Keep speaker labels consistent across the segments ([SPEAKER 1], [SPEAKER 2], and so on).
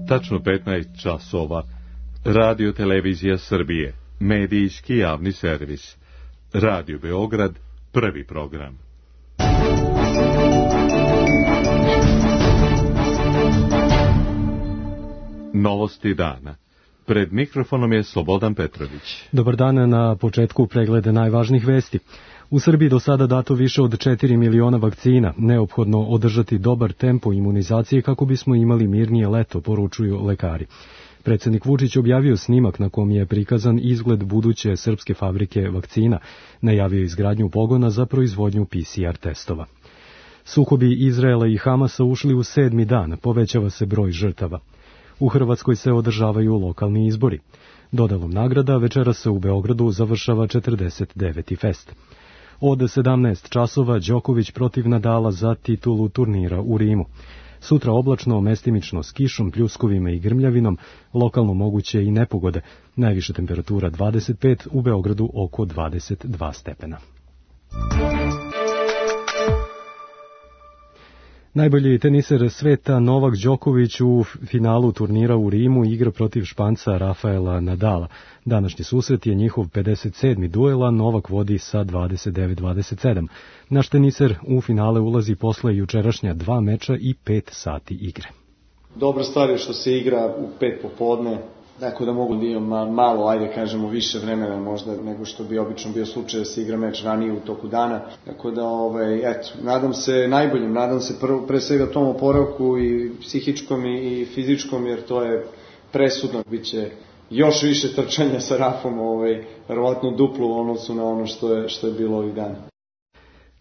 [SPEAKER 1] Tačno 15 časova. Radio Televizija Srbije. Medijski javni servis. Radio Beograd. Prvi program. Novosti dana. Pred mikrofonom je Slobodan Petrović.
[SPEAKER 2] Dobar dan, na početku preglede najvažnijih vesti. U Srbiji do sada dato više od 4 miliona vakcina. Neophodno održati dobar tempo imunizacije kako bismo imali mirnije leto, poručuju lekari. Predsjednik Vučić objavio snimak na kom je prikazan izgled buduće srpske fabrike vakcina. Najavio izgradnju pogona za proizvodnju PCR testova. Sukobi Izraela i Hamasa ušli u 7. dan, povećava se broj žrtava. U Hrvatskoj se održavaju lokalni izbori. Dodalom nagrada večeras se u Beogradu završava 49. fest. Od 17 časova Đoković protiv Nadala za titulu turnira u Rimu. Sutra oblačno, mestimično s kišom, pljuskovima i grmljavinom, lokalno moguće i nepogode. Najviša temperatura 25, u Beogradu oko 22 stepena. Najbolji teniser sveta Novak Đoković u finalu turnira u Rimu igra protiv Španca Rafaela Nadala. Današnji susret je njihov 57. duel, a Novak vodi sa 29-27. Naš teniser u finale ulazi posle jučerašnja 2 meča i 5 sati igre.
[SPEAKER 3] Dobra stvar je što se igra u 5 popodne, tako da mogu da imam malo, ajde kažemo, više vremena možda nego što bi obično bio slučaj da se igra meč ranije u toku dana. Tako da, nadam se najboljim, nadam se pre svega tom oporavku i psihičkom i fizičkom, jer to je presudno. Biće još više trčanja sa Rafom, verovatno duplo u odnosu na ono što je bilo ovih dana.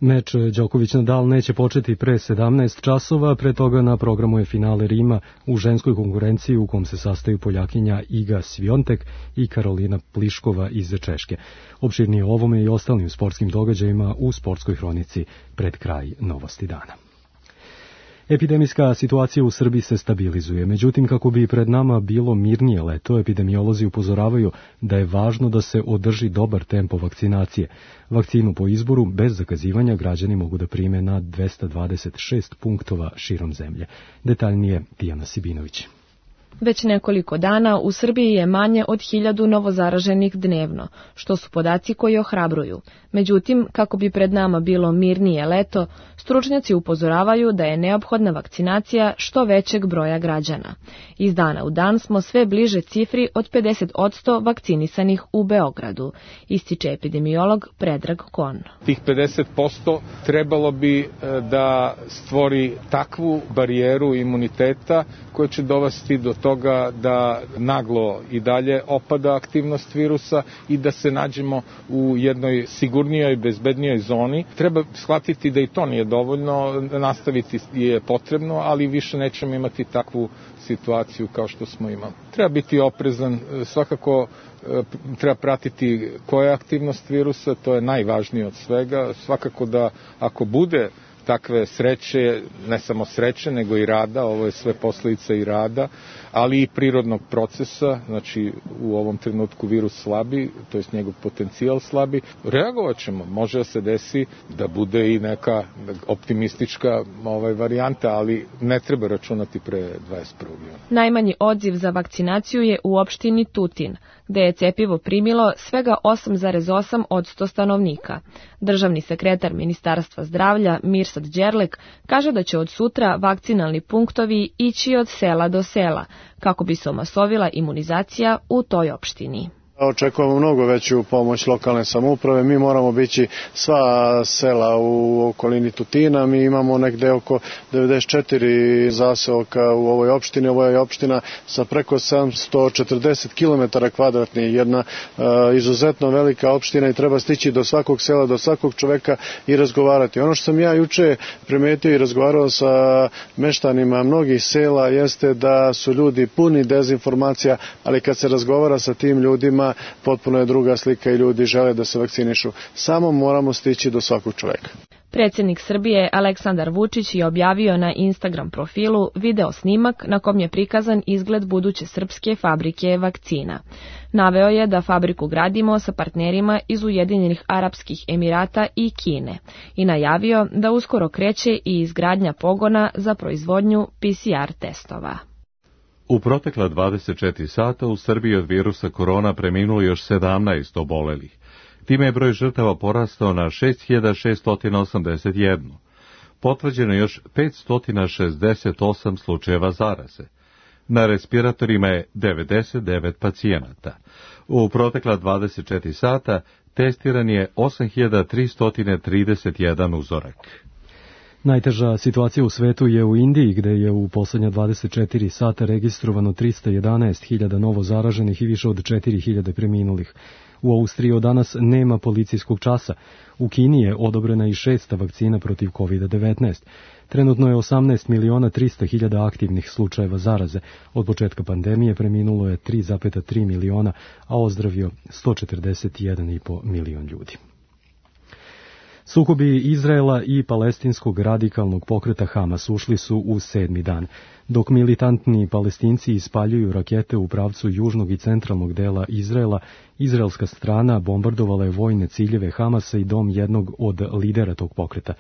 [SPEAKER 2] Meč Đoković-Nadal neće početi pre 17 časova, pre toga na programu je finale Rima u ženskoj konkurenciji u kom se sastaju Poljakinja Iga Sviontek i Karolina Pliškova iz Češke. Opširnije o ovome i ostalim sportskim događajima u sportskoj hronici pred kraj Novosti dana. Epidemijska situacija u Srbiji se stabilizuje, međutim kako bi pred nama bilo mirnije leto, epidemiolozi upozoravaju da je važno da se održi dobar tempo vakcinacije. Vakcinu po izboru bez zakazivanja građani mogu da prime na 226 punktova širom zemlje. Detaljnije Tijana Sibinović.
[SPEAKER 4] Već nekoliko dana u Srbiji je manje od 1000 novozaraženih dnevno, što su podaci koji ohrabruju. Međutim, kako bi pred nama bilo mirnije leto, stručnjaci upozoravaju da je neophodna vakcinacija što većeg broja građana. Iz dana u dan smo sve bliže cifri od 50% vakcinisanih u Beogradu, ističe epidemiolog Predrag Kon.
[SPEAKER 5] Tih 50% trebalo bi da stvori takvu barijeru imuniteta koja će dovesti do toga da naglo i dalje opada aktivnost virusa i da se nađemo u jednoj sigurnijoj, bezbednijoj zoni. Treba shvatiti da i to nije dovoljno, nastaviti je potrebno, ali više nećemo imati takvu situaciju kao što smo imali. Treba biti oprezan, svakako treba pratiti koja je aktivnost virusa, to je najvažnije od svega. Svakako da ako bude takve sreće, ne samo sreće, nego i rada, ovo je sve posljedica i rada, ali i prirodnog procesa, znači u ovom trenutku virus slabi, to jest njegov potencijal slabi, reagovat ćemo, može da se desi da bude i neka optimistička varijanta, ali ne treba računati pre 21. juna.
[SPEAKER 4] Najmanji odziv za vakcinaciju je u opštini Tutin, gde je cepivo primilo svega 8,8% stanovnika. Državni sekretar Ministarstva zdravlja Mirsad Đerlek kaže da će od sutra vakcinalni punktovi ići od sela do sela, kako bi se omasovila imunizacija u toj opštini.
[SPEAKER 6] Očekujemo mnogo veću pomoć lokalne samouprave. Mi moramo bići sva sela u okolini Tutina. Mi imamo negde oko 94 zaseoka u ovoj opštini. Ovo je opština sa preko 740 km kvadratnih, jedna izuzetno velika opština i treba stići do svakog sela, do svakog čoveka i razgovarati. Ono što sam ja juče primetio i razgovarao sa meštanima mnogih sela jeste da su ljudi puni dezinformacija, ali kad se razgovara sa tim ljudima potpuno je druga slika i ljudi žele da se vakcinišu. Samo moramo stići do svakog čoveka.
[SPEAKER 4] Predsjednik Srbije Aleksandar Vučić je objavio na Instagram profilu video snimak na kom je prikazan izgled buduće srpske fabrike vakcina. Naveo je da fabriku gradimo sa partnerima iz Ujedinjenih Arapskih Emirata i Kine i najavio da uskoro kreće i izgradnja pogona za proizvodnju PCR testova.
[SPEAKER 1] U protekla 24 sata u Srbiji od virusa korona preminulo još 17 obolelih. Time je broj žrtava porastao na 6681. Potvrđeno je još 568 slučajeva zaraze. Na respiratorima je 99 pacijenata. U protekla 24 sata testiran je 8331 uzorak.
[SPEAKER 2] Najteža situacija u svetu je u Indiji, gde je u poslednja 24 sata registrovano 311.000 novo zaraženih i više od 4.000 preminulih. U Austriji od danas nema policijskog časa. U Kini je odobrena i 6. vakcina protiv COVID-19. Trenutno je 18.300.000 aktivnih slučajeva zaraze. Od početka pandemije preminulo je 3,3 miliona, a ozdravio 141,5 milion ljudi. Sukobi Izraela i palestinskog radikalnog pokreta Hamas ušli su u 7. dan. Dok militantni Palestinci ispaljuju rakete u pravcu južnog i centralnog dela Izraela, izraelska strana bombardovala je vojne ciljeve Hamasa i dom jednog od lidera tog pokreta.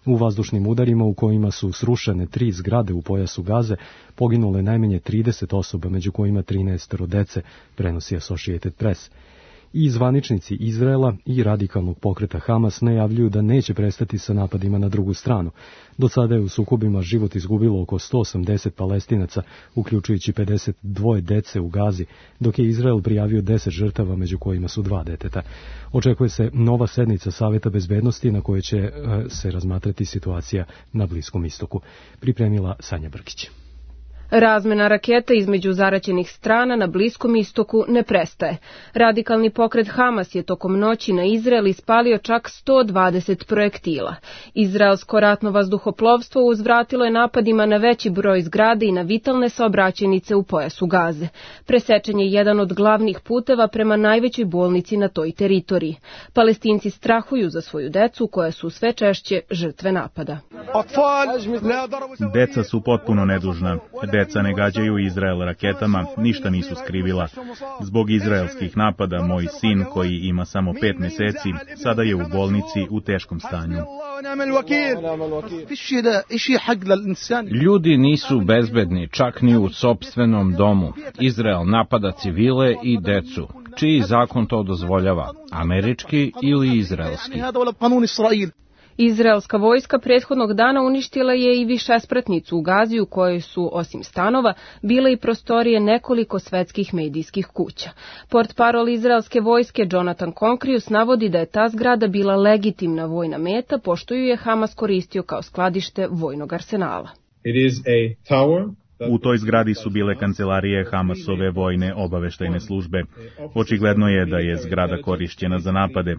[SPEAKER 2] U vazdušnim udarima u kojima su srušene 3 zgrade u pojasu Gaze, poginulo je najmanje 30 osoba, među kojima 13 dece, prenosi Associated Press. I zvaničnici Izraela i radikalnog pokreta Hamas najavljuju da neće prestati sa napadima na drugu stranu. Do sada je u sukobima život izgubilo oko 180 Palestinaca, uključujući 52 dece u Gazi, dok je Izrael prijavio 10 žrtava, među kojima su 2 deteta. Očekuje se nova sednica Saveta bezbednosti na kojoj će se razmatrati situacija na Bliskom istoku. Pripremila Sanja Brkić.
[SPEAKER 7] Razmena raketa između zaraćenih strana na Bliskom istoku ne prestaje. Radikalni pokret Hamas je tokom noći na Izrael ispalio čak 120 projektila. Izraelsko ratno vazduhoplovstvo uzvratilo je napadima na veći broj zgrade i na vitalne saobraćajnice u pojasu Gaze. Presečen je jedan od glavnih puteva prema najvećoj bolnici na toj teritoriji. Palestinci strahuju za svoju decu, koja su sve češće žrtve napada.
[SPEAKER 8] Deca su potpuno nedužna. Deca ne gađaju Izrael raketama, ništa nisu skrivila. Zbog izraelskih napada, moj sin, koji ima samo 5 meseci, sada je u bolnici u teškom stanju.
[SPEAKER 9] Ljudi nisu bezbedni, čak ni u sopstvenom domu. Izrael napada civile i decu. Čiji zakon to dozvoljava? Američki ili izraelski?
[SPEAKER 7] Izraelska vojska prethodnog dana uništila je i višespratnicu u Gazi, u kojoj su, osim stanova, bile i prostorije nekoliko svetskih medijskih kuća. Portparol izraelske vojske Jonathan Konkrius navodi da je ta zgrada bila legitimna vojna meta, pošto ju je Hamas koristio kao skladište vojnog arsenala.
[SPEAKER 8] U toj zgradi su bile kancelarije Hamasove vojne obaveštajne službe. Očigledno je da je zgrada korišćena za napade.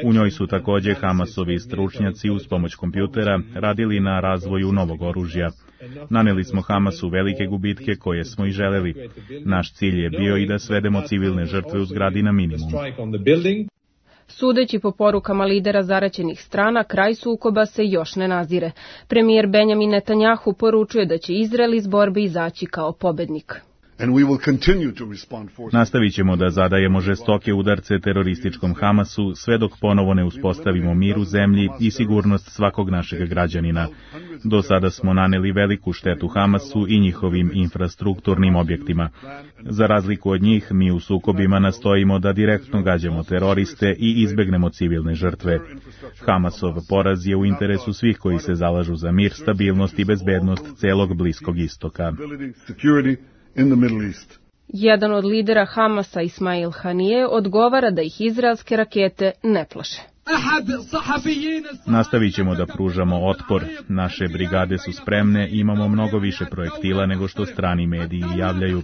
[SPEAKER 8] U njoj su takođe Hamasovi stručnjaci uz pomoć kompjutera radili na razvoju novog oružja. Naneli smo Hamasu velike gubitke koje smo i želeli. Naš cilj je bio i da svedemo civilne žrtve u zgradi na minimum.
[SPEAKER 7] Sudeći po porukama lidera zaraćenih strana, kraj sukoba se još ne nazire. Premijer Benjamin Netanjahu poručuje da će Izrael iz borbe izaći kao pobednik.
[SPEAKER 8] Nastavit ćemo da zadajemo žestoke udarce terorističkom Hamasu sve dok ponovo ne uspostavimo mir u zemlji i sigurnost svakog našeg građanina. Do sada smo naneli veliku štetu Hamasu i njihovim infrastrukturnim objektima. Za razliku od njih, mi u sukobima nastojimo da direktno gađamo teroriste i izbegnemo civilne žrtve. Hamasov poraz je u interesu svih koji se zalažu za mir, stabilnost i bezbednost celog Bliskog istoka.
[SPEAKER 7] Jedan od lidera Hamasa, Ismail Hanije, odgovara da ih izraelske rakete ne plaše.
[SPEAKER 8] Nastavit ćemo da pružamo otpor. Naše brigade su spremne i imamo mnogo više projektila nego što strani mediji javljaju.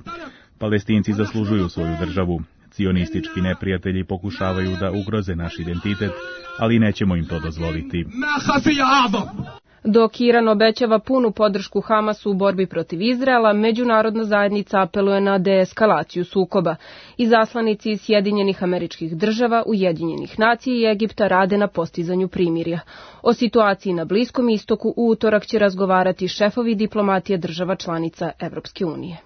[SPEAKER 8] Palestinci zaslužuju svoju državu. Cionistički neprijatelji pokušavaju da ugroze naš identitet, ali nećemo im to dozvoliti.
[SPEAKER 7] Dok Iran obećava punu podršku Hamasu u borbi protiv Izraela, međunarodna zajednica apeluje na deeskalaciju sukoba. Izaslanici iz Sjedinjenih Američkih Država, Ujedinjenih nacija i Egipta rade na postizanju primirja. O situaciji na Bliskom istoku u utorak će razgovarati šefovi diplomatije država članica Evropske unije.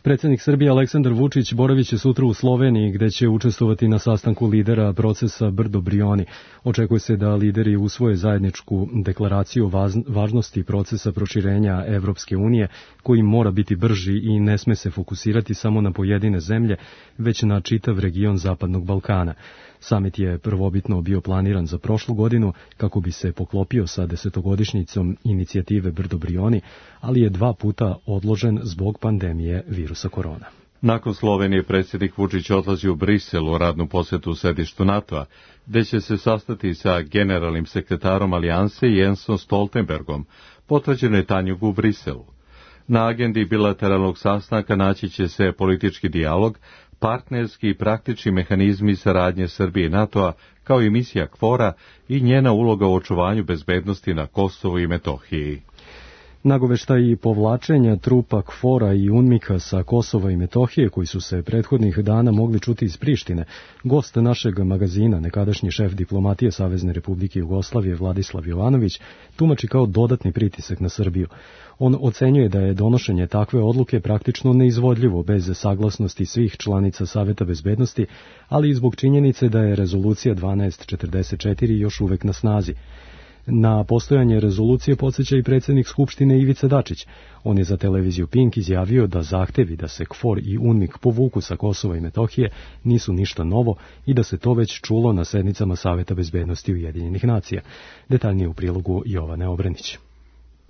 [SPEAKER 2] Predsjednik Srbije Aleksandar Vučić boravit će sutra u Sloveniji, gde će učestvovati na sastanku lidera procesa Brdo-Brioni. Očekuje se da lideri usvoje zajedničku deklaraciju o važnosti procesa proširenja Evropske unije, koji mora biti brži i ne sme se fokusirati samo na pojedine zemlje, već na čitav region Zapadnog Balkana. Samit je prvobitno bio planiran za prošlu godinu kako bi se poklopio sa 10-godišnjicom inicijative Brdo-Brioni, ali je 2 puta odložen zbog pandemije virusa korona.
[SPEAKER 1] Nakon Slovenije predsjednik Vučić odlazi u Brisel u radnu posjetu u sedištu NATO-a, gde će se sastati sa generalnim sekretarom Alijanse Jensom Stoltenbergom, potvrđeno je Tanjug u Briselu. Na agendi bilateralnog sastanka naći će se politički dijalog, partnerski i praktični mehanizmi saradnje Srbije i NATO-a, kao i misija KFOR-a i njena uloga u očuvanju bezbednosti na Kosovu i Metohiji.
[SPEAKER 2] Nagoveštaji povlačenja trupa KFOR-a i UNMIK-a sa Kosova i Metohije, koji su se prethodnih dana mogli čuti iz Prištine, gost našeg magazina, nekadašnji šef diplomatije Savezne Republike Jugoslavije Vladislav Jovanović, tumači kao dodatni pritisak na Srbiju. On ocenjuje da je donošenje takve odluke praktično neizvodljivo bez saglasnosti svih članica Saveta bezbednosti, ali i zbog činjenice da je rezolucija 1244 još uvek na snazi. Na postojanje rezolucije podsjeća i predsjednik Skupštine Ivica Dačić. On je za televiziju Pink izjavio da zahtevi da se KFOR i UNMIK povuku sa Kosova i Metohije nisu ništa novo i da se to već čulo na sednicama Saveta bezbednosti Ujedinjenih nacija. Detaljnije u prilogu Jovane Obrenić.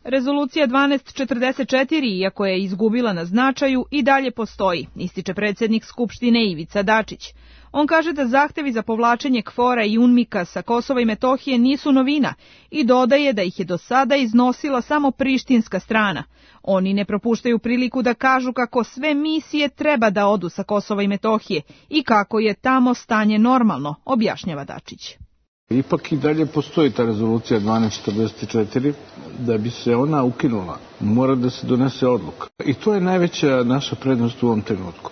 [SPEAKER 10] Rezolucija 1244, iako je izgubila na značaju, i dalje postoji, ističe predsjednik Skupštine Ivica Dačić. On kaže da zahtevi za povlačenje KFOR-a i UNMIK-a sa Kosova i Metohije nisu novina i dodaje da ih je do sada iznosila samo prištinska strana. Oni ne propuštaju priliku da kažu kako sve misije treba da odu sa Kosova i Metohije i kako je tamo stanje normalno, objašnjava Dačić.
[SPEAKER 11] Ipak i dalje postoji ta rezolucija 1244, da bi se ona ukinula, mora da se donese odluka. I to je najveća naša prednost u ovom trenutku.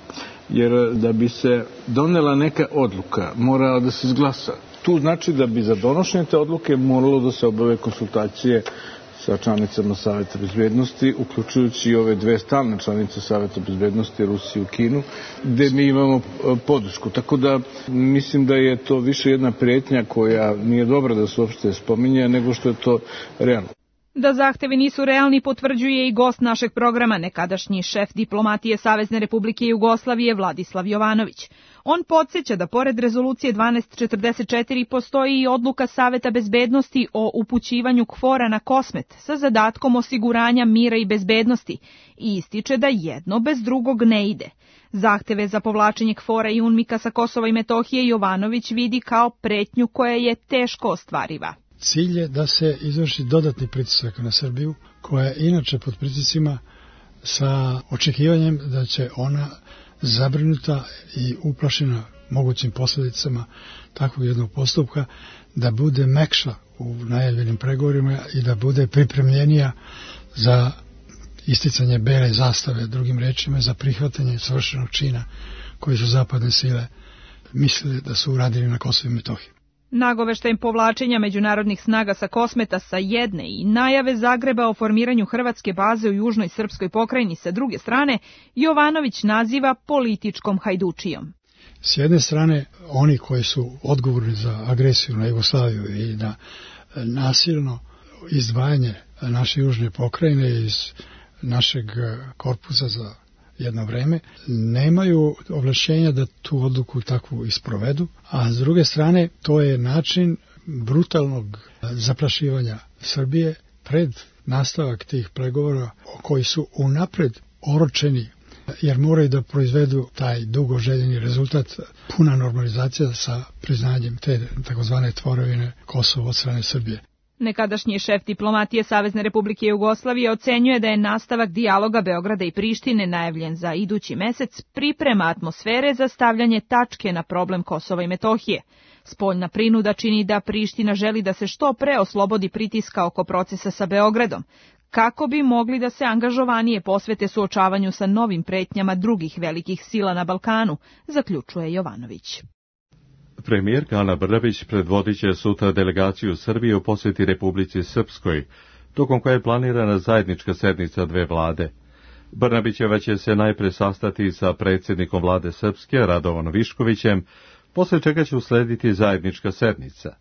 [SPEAKER 11] Jer da bi se donela neka odluka, mora da se izglasa. Tu znači da bi za donošenje te odluke moralo da se obave konsultacije sa članicama Saveta bezbednosti, uključujući i ove 2 stalne članice Saveta bezbednosti, Rusiju i Kinu, gde mi imamo podršku. Tako da mislim da je to više jedna prijetnja koja nije dobra da se uopšte spominje, nego što je to realno.
[SPEAKER 10] Da zahtevi nisu realni potvrđuje i gost našeg programa, nekadašnji šef diplomatije Savezne Republike Jugoslavije Vladislav Jovanović. On podsjeća da pored rezolucije 1244 postoji i odluka Saveta bezbednosti o upućivanju KFOR-a na Kosmet sa zadatkom osiguranja mira i bezbednosti i ističe da jedno bez drugog ne ide. Zahteve za povlačenje KFOR-a i UNMIK-a sa Kosova i Metohije Jovanović vidi kao pretnju koja je teško ostvariva.
[SPEAKER 12] Cilj je da se izvrši dodatni pritisak na Srbiju, koja je inače pod pritiscima sa očekivanjem da će ona zabrinuta i uplašena mogućim posljedicama takvog jednog postupka da bude mekša u najavljenim pregovorima i da bude pripremljenija za isticanje bele zastave, drugim rečima za prihvatanje svršenog čina koji su zapadne sile mislili da su uradili na Kosovu i Metohiji.
[SPEAKER 10] Nagoveštajem povlačenja međunarodnih snaga sa Kosmeta sa jedne i najave Zagreba o formiranju hrvatske baze u južnoj srpskoj pokrajini sa druge strane, Jovanović naziva političkom hajdučijom.
[SPEAKER 12] S jedne strane, oni koji su odgovorni za agresiju na Jugoslaviju i na nasilno izdvajanje naše južne pokrajine iz našeg korpusa za jedno vreme, nemaju ovlašćenja da tu odluku takvu isprovedu, a s druge strane to je način brutalnog zaprašivanja Srbije pred nastavak tih pregovora koji su unapred oročeni, jer moraju da proizvedu taj dugo željeni rezultat, puna normalizacija sa priznanjem te takozvane tvorevine Kosova od strane Srbije.
[SPEAKER 10] Nekadašnji šef diplomatije Savezne Republike Jugoslavije ocenjuje da je nastavak dijaloga Beograda i Prištine najavljen za idući mesec priprema atmosfere za stavljanje tačke na problem Kosova i Metohije. Spoljna prinuda čini da Priština želi da se što pre oslobodi pritiska oko procesa sa Beogradom, kako bi mogli da se angažovanije posvete suočavanju sa novim pretnjama drugih velikih sila na Balkanu, zaključuje Jovanović.
[SPEAKER 1] Premijerka Ana Brnabić predvodit će sutra delegaciju Srbije u posjeti Republici Srpskoj, tokom koje je planirana zajednička sednica 2 vlade. Brnabićeva će se najpre sastati sa predsjednikom vlade Srpske, Radovanom Viškovićem, posle čega će uslediti zajednička sednica.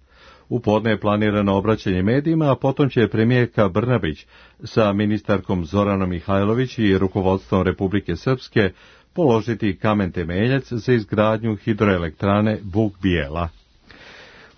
[SPEAKER 1] U podne je planirano obraćanje medijima, a potom će premijerka Brnabić sa ministarkom Zoranom Mihajlović i rukovodstvom Republike Srpske položiti kamen temeljac za izgradnju hidroelektrane Buk Bijela.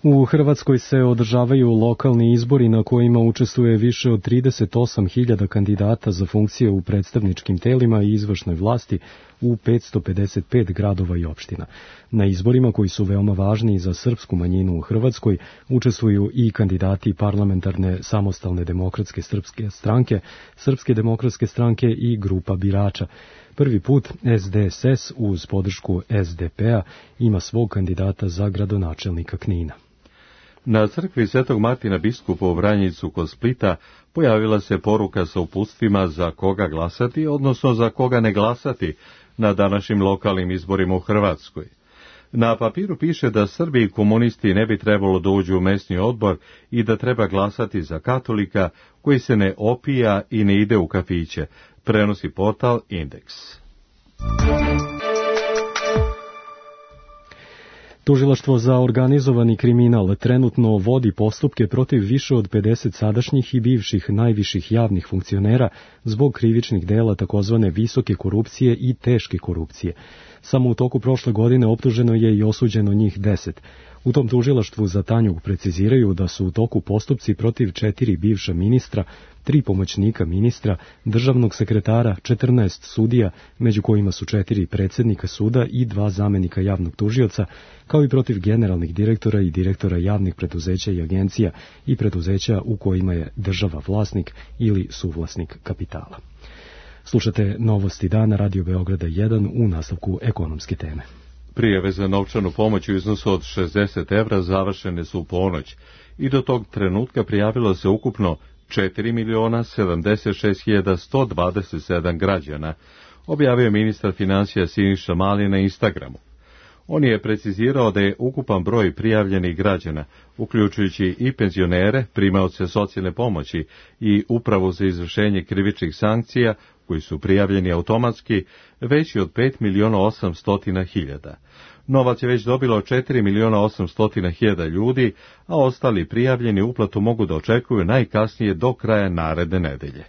[SPEAKER 2] U Hrvatskoj se održavaju lokalni izbori na kojima učestvuje više od 38.000 kandidata za funkcije u predstavničkim telima i izvršnoj vlasti u 555 gradova i opština. Na izborima, koji su veoma važni za srpsku manjinu u Hrvatskoj, učestvuju i kandidati parlamentarne samostalne demokratske srpske stranke, Srpske demokratske stranke i grupa birača. Prvi put SDSS uz podršku SDP-a ima svog kandidata za gradonačelnika Knina.
[SPEAKER 1] Na crkvi Svetog Martina biskupa u Vranjicu kod Splita pojavila se poruka sa uputstvima za koga glasati, odnosno za koga ne glasati na današnjim lokalnim izborima u Hrvatskoj. Na papiru piše da Srbi i komunisti ne bi trebalo da uđu u mesni odbor i da treba glasati za katolika koji se ne opija i ne ide u kafiće, prenosi portal Indeks.
[SPEAKER 2] Tužilaštvo za organizovani kriminal trenutno vodi postupke protiv više od 50 sadašnjih i bivših najviših javnih funkcionera zbog krivičnih dela takozvane visoke korupcije i teške korupcije. Samo u toku prošle godine optuženo je i osuđeno njih 10. U tom tužilaštvu za Tanjug preciziraju da su u toku postupci protiv 4 bivša ministra, 3 pomoćnika ministra, državnog sekretara, 14 sudija, među kojima su 4 predsjednika suda i 2 zamenika javnog tužioca, kao i protiv generalnih direktora i direktora javnih preduzeća i agencija i preduzeća u kojima je država vlasnik ili suvlasnik kapitala. Slušate Novosti dana Radio Beograda 1 u nastavku ekonomske teme.
[SPEAKER 1] Prijave za novčanu pomoć u iznosu od 60 evra završene su u ponoć i do tog trenutka prijavilo se ukupno 4.076.127 građana, objavio ministar financija Siniša Mali na Instagramu. On je precizirao da je ukupan broj prijavljenih građana, uključujući i penzionere, primaoce socijalne pomoći i upravu za izvršenje krivičnih sankcija, koji su prijavljeni automatski, veći od 5.800.000. Novac je već dobilo 4.800.000 ljudi, a ostali prijavljeni uplatu mogu da očekuju najkasnije do kraja naredne nedelje.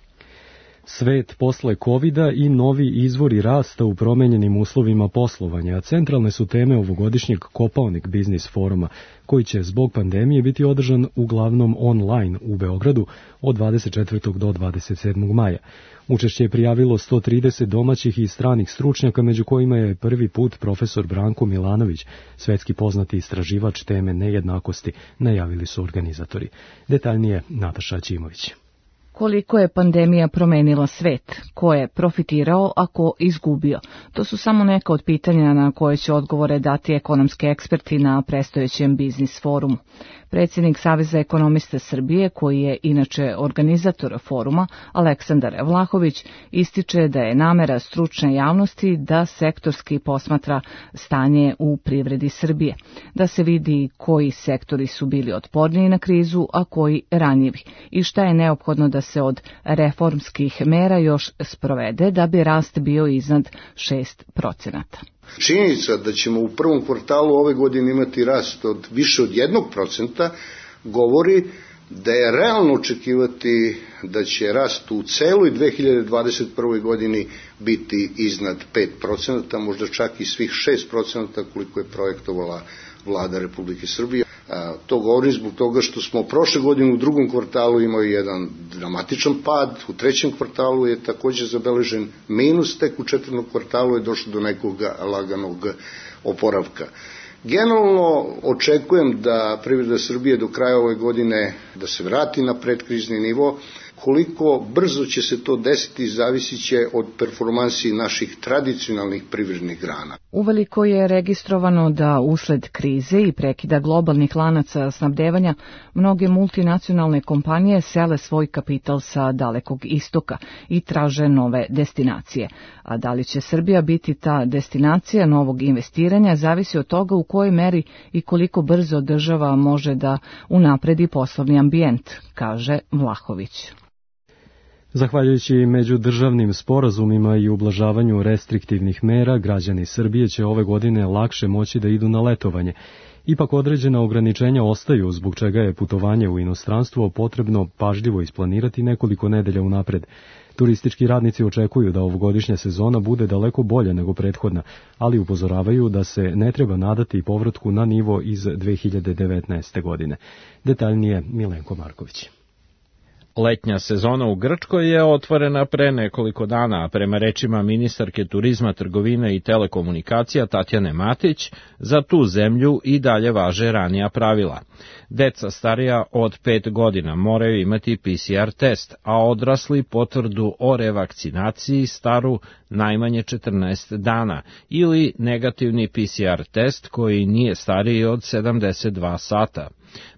[SPEAKER 2] Svet posle covida i novi izvori rasta u promenjenim uslovima poslovanja, centralne su teme ovogodišnjeg Kopaonik biznis foruma, koji će zbog pandemije biti održan uglavnom online u Beogradu od 24. do 27. maja. Učešće je prijavilo 130 domaćih i stranih stručnjaka, među kojima je prvi put profesor Branko Milanović, svetski poznati istraživač teme nejednakosti, najavili su organizatori. Detaljnije Nataša Ćimović.
[SPEAKER 13] Koliko je pandemija promenila svet, ko je profitirao, a ko izgubio? To su samo neka od pitanja na koje će odgovore dati ekonomski eksperti na predstojećem biznis forumu. Predsjednik Saveza ekonomista Srbije, koji je inače organizator foruma, Aleksandar Vlahović, ističe da je namera stručne javnosti da sektorski posmatra stanje u privredi Srbije, da se vidi koji sektori su bili otporniji na krizu, a koji ranjivi, i šta je neophodno da se od reformskih mera još sprovede da bi rast bio iznad 6%.
[SPEAKER 14] Činjenica da ćemo u prvom kvartalu ove godine imati rast od više od 1% govori da je realno očekivati da će rast u celoj 2021. godini biti iznad 5%, možda čak i svih 6% koliko je projektovala Vlada Republike Srbije. To govorim zbog toga što smo prošle godine u drugom kvartalu imali jedan dramatičan pad, u trećem kvartalu je također zabeležen minus, tek u četvrtom kvartalu je došlo do nekog laganog oporavka. Generalno očekujem da privreda Srbije do kraja ove godine da se vrati na predkrizni nivo. Koliko brzo će se to desiti zavisit će od performansi naših tradicionalnih privrednih grana.
[SPEAKER 13] Uveliko je registrovano da usled krize i prekida globalnih lanaca snabdevanja mnoge multinacionalne kompanije sele svoj kapital sa Dalekog istoka i traže nove destinacije. A da li će Srbija biti ta destinacija novog investiranja zavisi od toga u kojoj meri i koliko brzo država može da unapredi poslovni ambijent, kaže Vlahović.
[SPEAKER 2] Zahvaljujući međudržavnim sporazumima i ublažavanju restriktivnih mera, građani Srbije će ove godine lakše moći da idu na letovanje. Ipak određena ograničenja ostaju, zbog čega je putovanje u inostranstvo potrebno pažljivo isplanirati nekoliko nedelja unapred. Turistički radnici očekuju da ovogodišnja sezona bude daleko bolja nego prethodna, ali upozoravaju da se ne treba nadati povratku na nivo iz 2019. godine. Detaljnije Milenko Marković.
[SPEAKER 9] Letnja sezona u Grčkoj je otvorena pre nekoliko dana, a prema rečima ministarke turizma, trgovine i telekomunikacija Tatjane Matić, za tu zemlju i dalje važe ranija pravila. Deca starija od 5 godina moraju imati PCR test, a odrasli potvrdu o revakcinaciji staru najmanje 14 dana ili negativni PCR test koji nije stariji od 72 sata.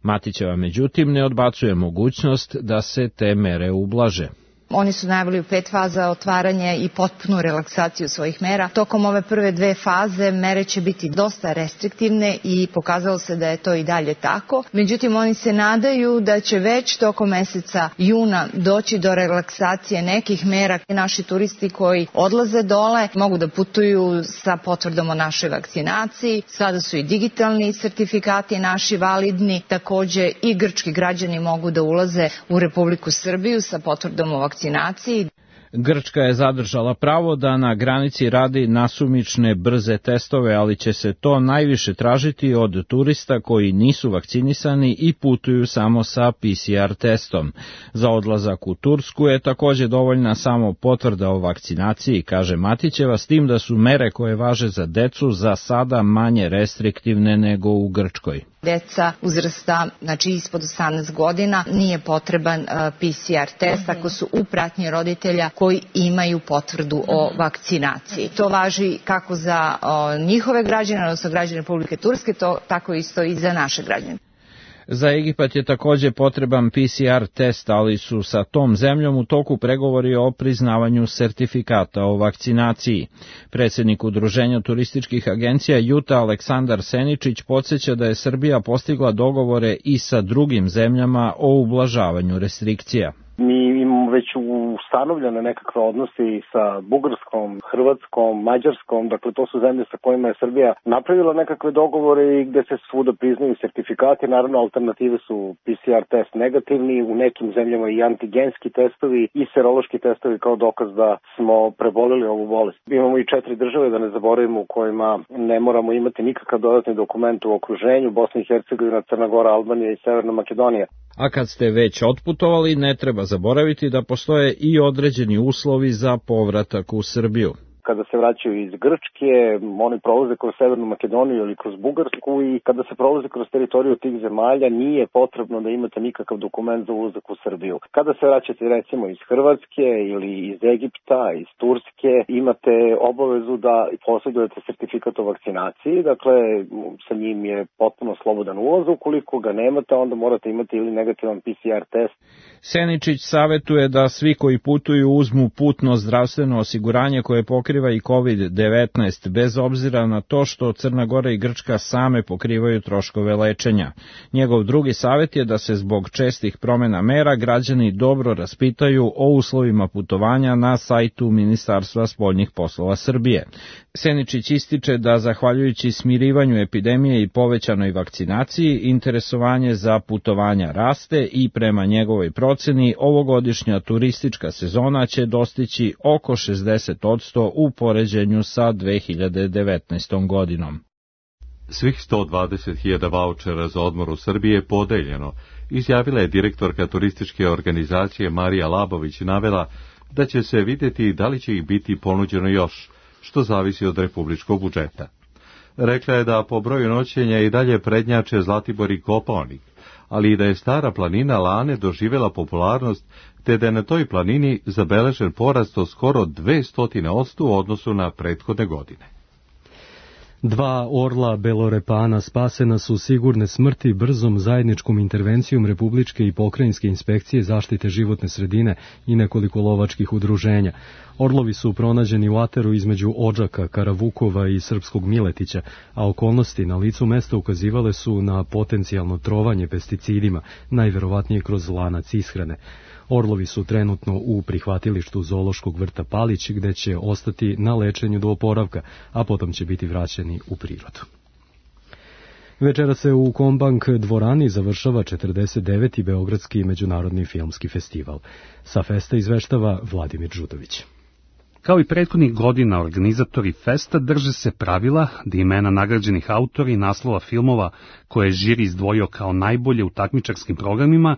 [SPEAKER 9] Matićeva međutim ne odbacuje mogućnost da se te mere ublaže.
[SPEAKER 15] Oni su najavili u 5 faza otvaranje i potpunu relaksaciju svojih mera. Tokom ove prve 2 faze mere će biti dosta restriktivne i pokazalo se da je to i dalje tako. Međutim, oni se nadaju da će već tokom meseca juna doći do relaksacije nekih mera. Naši turisti koji odlaze dole mogu da putuju sa potvrdom o našoj vakcinaciji. Sada su i digitalni sertifikati naši validni. Takođe i grčki građani mogu da ulaze u Republiku Srbiju sa potvrdom o vakcinaciji.
[SPEAKER 9] Grčka je zadržala pravo da na granici radi nasumične brze testove, ali će se to najviše tražiti od turista koji nisu vakcinisani i putuju samo sa PCR testom. Za odlazak u Tursku je takođe dovoljna samo potvrda o vakcinaciji, kaže Matićeva, s tim da su mere koje važe za decu za sada manje restriktivne nego u Grčkoj.
[SPEAKER 15] Deca uzrasta, znači ispod 18 godina, nije potreban PCR test ako su u pratnji roditelja koji imaju potvrdu o vakcinaciji. To važi kako za njihove građane, odnosno građane Republike Turske, tako isto i za naše građane.
[SPEAKER 9] Za Egipat je takođe potreban PCR test, ali su sa tom zemljom u toku pregovori o priznavanju sertifikata o vakcinaciji. Predsjednik Udruženja turističkih agencija Juta Aleksandar Seničić podsjeća da je Srbija postigla dogovore i sa drugim zemljama o ublažavanju restrikcija.
[SPEAKER 16] Mi imamo već ustanovljene nekakve odnose sa Bugarskom, Hrvatskom, Mađarskom, dakle to su zemlje sa kojima je Srbija napravila nekakve dogovore i gde se svuda priznaju sertifikati. Naravno, alternative su PCR test negativni, u nekim zemljama i antigenski testovi i serološki testovi kao dokaz da smo preboleli ovu bolest. Imamo i 4 države, da ne zaboravimo, u kojima ne moramo imati nikakav dodatni dokument u okruženju: Bosna i Hercegovina, Crna Gora, Albanija i Severna Makedonija.
[SPEAKER 9] A kad ste već otputovali, ne treba zaboraviti da postoje i određeni uslovi za povratak u Srbiju.
[SPEAKER 16] Kada se vraćaju iz Grčke, oni prolaze kroz Severnu Makedoniju ili kroz Bugarsku i kada se prolaze kroz teritoriju tih zemalja nije potrebno da imate nikakav dokument za ulazak u Srbiju. Kada se vraćate recimo iz Hrvatske ili iz Egipta, iz Turske, imate obavezu da posjedujete sertifikat o vakcinaciji, dakle sa njim je potpuno slobodan ulaz. Ukoliko ga nemate, onda morate imati ili negativan PCR test.
[SPEAKER 9] Seničić savetuje da svi koji putuju uzmu putno zdravstveno osiguranje koje pokriva i COVID-19, bez obzira na to što Crna Gora i Grčka same pokrivaju troškove lečenja. Njegov drugi savjet je da se zbog čestih promjena mera građani dobro raspitaju o uslovima putovanja na sajtu Ministarstva spoljnih poslova Srbije. Seničić ističe da zahvaljujući smirivanju epidemije i povećanoj vakcinaciji, interesovanje za putovanja raste i prema njegovoj proceni ovogodišnja turistička sezona će dostići oko 60% u poređenju sa 2019. godinom.
[SPEAKER 1] Svih 120.000 vaučera za odmor u Srbiji je podeljeno, izjavila je direktorka turističke organizacije Marija Labović i navela da će se vidjeti da li će ih biti ponuđeno još, što zavisi od republičkog budžeta. Rekla je da po broju noćenja i dalje prednjače Zlatibor i Kopaonik, ali i da je Stara planina Lane doživjela popularnost, te da je na toj planini zabeležen porast od skoro 200% u odnosu na prethodne godine.
[SPEAKER 2] 2 orla belorepana spasena su sigurne smrti brzom zajedničkom intervencijom Republičke i pokrajinske inspekcije zaštite životne sredine i nekoliko lovačkih udruženja. Orlovi su pronađeni u ateru između Odžaka, Karavukova i Srpskog Miletića, a okolnosti na licu mesta ukazivale su na potencijalno trovanje pesticidima, najverovatnije kroz lanac ishrane. Orlovi su trenutno u prihvatilištu Zoološkog vrta Palić, gde će ostati na lečenju do oporavka, a potom će biti vraćeni u prirodu. Večera se u Kombank dvorani završava 49. Beogradski međunarodni filmski festival. Sa festa izveštava Vladimir Đudović.
[SPEAKER 17] Kao i prethodnih godina, organizatori festa drže se pravila da imena nagrađenih autora i naslova filmova koje je žiri izdvojio kao najbolje u takmičarskim programima,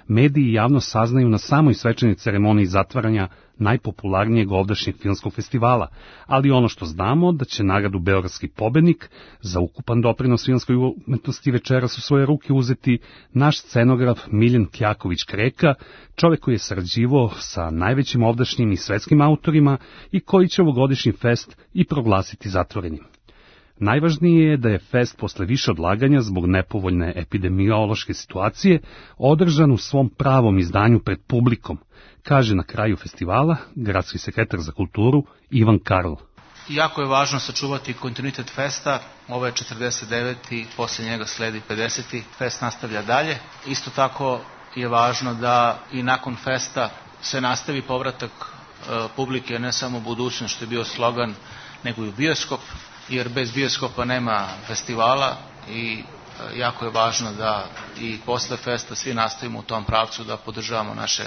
[SPEAKER 17] mediji i javnost saznaju na samoj svečanoj ceremoniji zatvaranja najpopularnijeg ovdašnjeg filmskog festivala, ali ono što znamo da će nagradu Beogradski pobednik za ukupan doprinos filmskoj umetnosti večeras u svoje ruke uzeti naš scenograf Miljan Kjaković-Kreka, čovek koji je sarađivao sa najvećim ovdašnjim i svetskim autorima i koji će ovogodišnji fest i proglasiti zatvorenim. Najvažnije je da je fest posle više odlaganja zbog nepovoljne epidemiološke situacije održan u svom pravom izdanju pred publikom, kaže na kraju festivala gradski sekretar za kulturu Ivan Karl.
[SPEAKER 18] Jako je važno sačuvati kontinuitet festa, ovo je 49. i posle njega sledi 50. Fest nastavlja dalje. Isto tako je važno da i nakon festa se nastavi povratak publike, ne samo budućnost što je bio slogan, nego i u bioskop, jer bez bioskopa nema festivala i jako je važno da i posle festa svi nastavimo u tom pravcu da podržavamo naše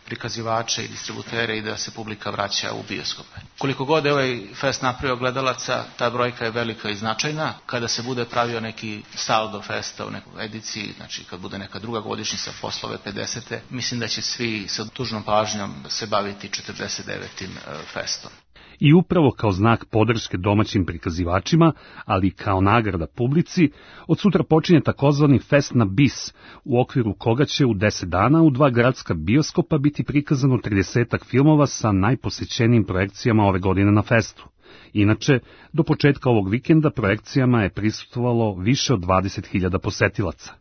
[SPEAKER 18] prikazivače i distributere i da se publika vraća u bioskope. Koliko god je ovaj fest napravio gledalaca, ta brojka je velika i značajna. Kada se bude pravio neki saldo festa u nekoj ediciji, znači kad bude neka druga godišnjica posle ove 50. mislim da će svi sa tužnom pažnjom se baviti 49. festom.
[SPEAKER 17] I upravo kao znak podrške domaćim prikazivačima, ali i kao nagrada publici, od sutra počinje takozvani Fest na bis, u okviru koga će u 10 dana u 2 gradska bioskopa biti prikazano 30 filmova sa najposećenijim projekcijama ove godine na festu. Inače, do početka ovog vikenda projekcijama je prisustvovalo više od 20.000 posetilaca.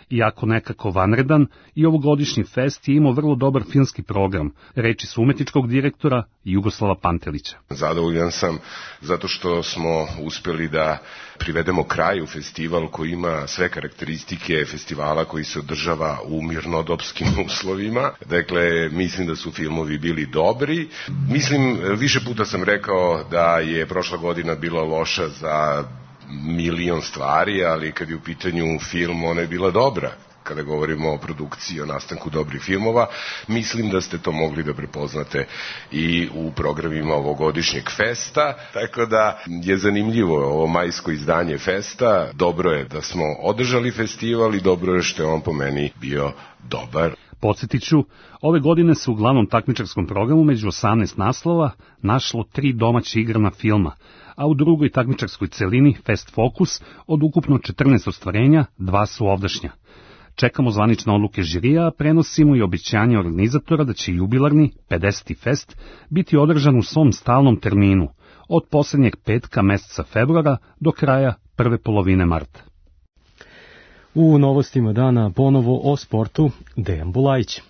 [SPEAKER 17] Iako nekako vanredan, i ovogodišnji fest je imao vrlo dobar filmski program, reči su umetničkog direktora Jugoslava Pantelića.
[SPEAKER 19] Zadovoljan sam zato što smo uspeli da privedemo kraju festival koji ima sve karakteristike festivala koji se održava u mirnodopskim uslovima. Dakle, mislim da su filmovi bili dobri. Mislim, više puta sam rekao da je prošla godina bila loša za milion stvari, ali kad je u pitanju film, ona je bila dobra. Kada govorimo o produkciji, o nastanku dobrih filmova, mislim da ste to mogli da prepoznate i u programima ovogodišnjeg festa, tako da je zanimljivo ovo majsko izdanje festa. Dobro je da smo održali festival i dobro je što je on po meni bio dobar.
[SPEAKER 17] Podsjetit ću, ove godine se u glavnom takmičarskom programu među 18 naslova našlo 3 domaće igrana filma, a u drugoj takmičarskoj celini Fest Focus od ukupno 14 ostvarenja 2 su ovdašnja. Čekamo zvanične odluke žirija, a prenosimo i obećanje organizatora da će jubilarni 50. fest biti održan u svom stalnom terminu, od poslednjeg petka meseca februara do kraja prve polovine marta.
[SPEAKER 2] U novostima dana ponovo o sportu Dejan Bulajić.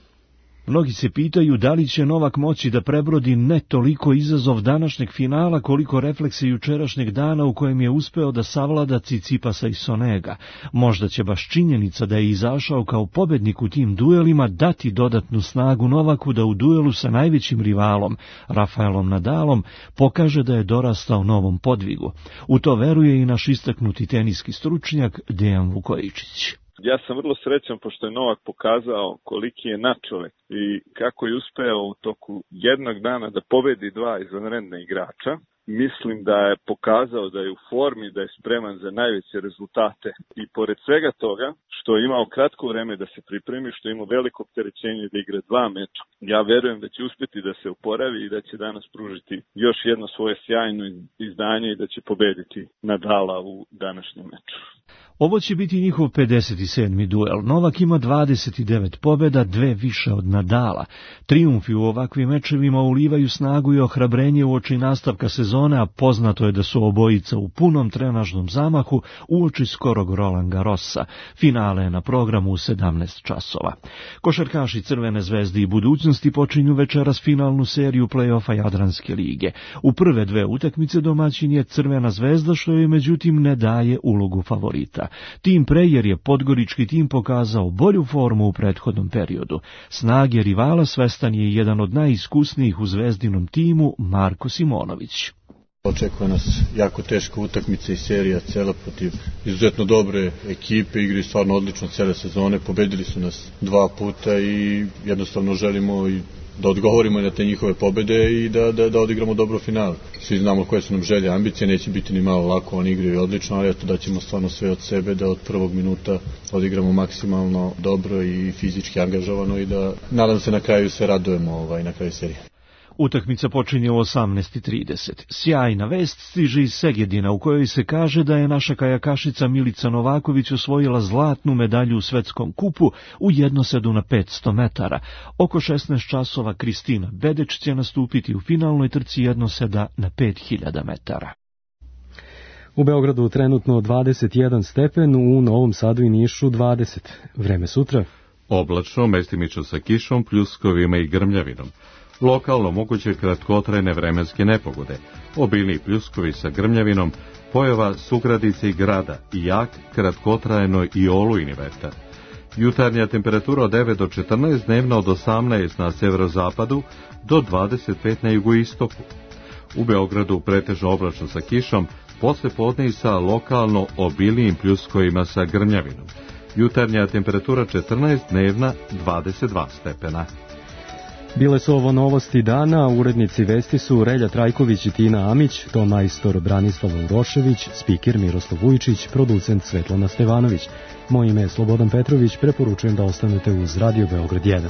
[SPEAKER 20] Mnogi se pitaju da li će Novak moći da prebrodi ne toliko izazov današnjeg finala koliko reflekse jučerašnjeg dana u kojem je uspeo da savlada Cicipasa i Sonega. Možda će baš činjenica da je izašao kao pobednik u tim duelima dati dodatnu snagu Novaku da u duelu sa najvećim rivalom, Rafaelom Nadalom, pokaže da je dorastao novom podvigu. U to veruje i naš istaknuti teniski stručnjak Dejan Vukojičić.
[SPEAKER 21] Ja sam vrlo srećan pošto je Novak pokazao koliki je nadčovek i kako je uspeo u toku jednog dana da pobedi 2 izvanredna igrača. Mislim da je pokazao da je u formi, da je spreman za najveće rezultate i pored svega toga što je imao kratko vreme da se pripremi, što je imao veliko opterećenje da igra 2 meča. Ja verujem da će uspeti da se oporavi i da će danas pružiti još jedno svoje sjajno izdanje i da će pobediti Nadala u današnjem meču.
[SPEAKER 20] Ovo će biti njihov 57. duel. Novak ima 29 pobjeda, 2 više od Nadala. Trijumfi u ovakvim mečevima ulivaju snagu i ohrabrenje uoči nastavka sezone sezone, a poznato je da su obojica u punom trenažnom zamahu uoči skorog Roland Garrosa. Finale je na programu u 17 časova. Košarkaši Crvene zvezde i Budućnosti počinju večeras finalnu seriju play-offa Jadranske lige. U prve dve utakmice domaćin je Crvena zvezda, što joj međutim ne daje ulogu favorita. Tim pre jer je podgorički tim pokazao bolju formu u prethodnom periodu. Snage rivala svestan je jedan od najiskusnijih u zvezdinom timu, Marko Simonović.
[SPEAKER 3] Očekuje nas jako teška utakmica i serija cela protiv izuzetno dobre ekipe, igri stvarno odlično cele sezone, pobedili su nas 2 puta i jednostavno želimo i da odgovorimo na te njihove pobede i da odigramo dobro final. Svi znamo koje su nam želje, ambicije, neće biti ni malo lako, oni igraju odlično, ali eto da ćemo stvarno sve od sebe da od prvog minuta odigramo maksimalno dobro i fizički angažovano i da nadam se na kraju sve radujemo na kraju serije.
[SPEAKER 20] Utakmica počinje u 18:30. Sjajna vest stiže iz Segedina u kojoj se kaže da je naša kajakašica Milica Novaković osvojila zlatnu medalju u svetskom kupu u jednosedu na 500 metara. Oko 16 časova Kristina Bedeć će nastupiti u finalnoj trci jednoseda na 5000 metara.
[SPEAKER 2] U Beogradu trenutno 21 stepen, u Novom Sadu i Nišu 20. Vreme sutra?
[SPEAKER 1] Oblačno, mestimično sa kišom, pljuskovima i grmljavinom. Lokalno moguće kratkotrajne vremenske nepogode, obilni pljuskovi sa grmljavinom, pojava sugradice i grada i jak, kratkotrajno i olujni vetar. Jutarnja temperatura od 9 do 14, dnevna od 18 na severozapadu do 25 na jugoistoku. U Beogradu pretežno oblačno sa kišom, posle podne i sa lokalno obilijim pljuskovima sa grmljavinom. Jutarnja temperatura 14, dnevna 22 stepena.
[SPEAKER 2] Bile su ovo novosti dana, urednici vesti su Relja Trajković i Tina Amić, to majstor Branislav Urošević, spiker Miroslav Vujčić, producent Svetlana Stevanović. Moje ime je Slobodan Petrović, preporučujem da ostanete uz Radio Beograd 1.